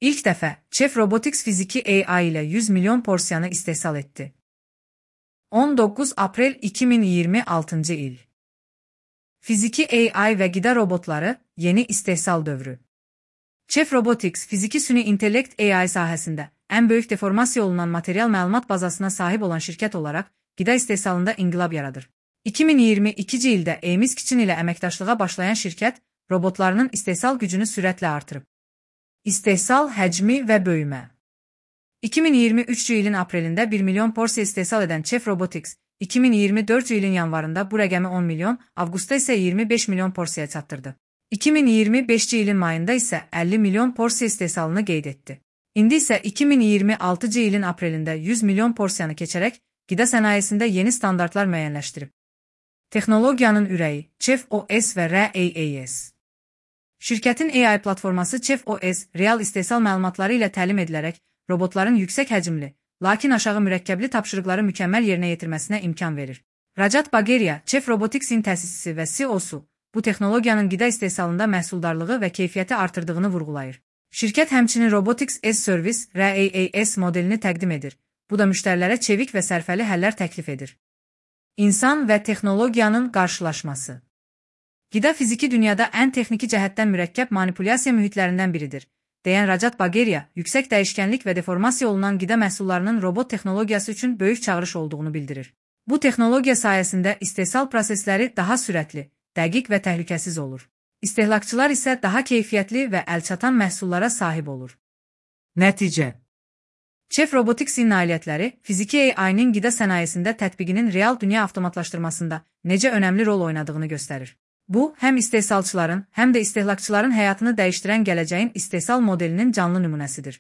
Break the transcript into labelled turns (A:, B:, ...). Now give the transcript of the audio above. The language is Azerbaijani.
A: İlk dəfə Chef Robotics fiziki AI ilə 100 milyon porsiyanı istehsal etdi. 19 Aprel 2026 il. Fiziki AI və qida robotları yeni istehsal dövrü. Chef Robotics fiziki süni intellekt AI sahəsində ən böyük deformasiya olunan material məlumat bazasına sahib olan şirkət olaraq qida istehsalında inqilab yaradır. 2022 ildə Emis Kitchen ilə əməkdaşlığa başlayan şirkət robotlarının istehsal gücünü sürətlə artırıb. İstehsal həcmi və böyümə. 2023 ilin aprelində 1 milyon porsiya istehsal edən Chef Robotics, 2024 ilin yanvarında bu rəqəmi 10 milyon, avqustda isə 25 milyon porsiyaya çatdırdı. 2025 ilin mayında isə 50 milyon porsiya istehsalını qeyd etdi. İndi isə 2026 ilin aprelində 100 milyon porsiyanı keçərək qida sənayesində yeni standartlar müəyyənləşdirib. Texnologiyanın ürəyi Chef OS və RAAS. Şirkətin AI platforması Chef OS, real istehsal məlumatları ilə təlim edilərək robotların yüksək həcmli, lakin aşağı mürəkkəbli tapşırıqları mükəmməl yerinə yetirməsinə imkan verir. Rajat Bagheriya, Chef Robotics'in təsisçisi və CEO-su, bu texnologiyanın qida istehsalında məhsuldarlığı və keyfiyyəti artırdığını vurğulayır. Şirkət həmçinin Robotics as Service RAAS modelini təqdim edir. Bu da müştərilərə çevik və sərfəli həllər təklif edir. İnsan və texnologiyanın qarşılaşması. Qida fiziki dünyada ən texniki cəhətdən mürəkkəb manipulyasiya mühitlərindən biridir, deyən Rajat Bagheriya, yüksək dəyişkənlik və deformasiya olunan qida məhsullarının robot texnologiyası üçün böyük çağırış olduğunu bildirir. Bu texnologiya sayəsində istehsal prosesləri daha sürətli, dəqiq və təhlükəsiz olur. İstehlakçılar isə daha keyfiyyətli və əlçatan məhsullara sahib olur. Nəticə. Chef Robotics'in nailiyyətləri fiziki AI-nin qida sənayesində tətbiqinin real dünya avtomatlaşdırmasında necə önəmli rol oynadığını göstərir. Bu, həm istehsalçıların, həm də istehlakçıların həyatını dəyişdirən gələcəyin istehsal modelinin canlı nümunəsidir.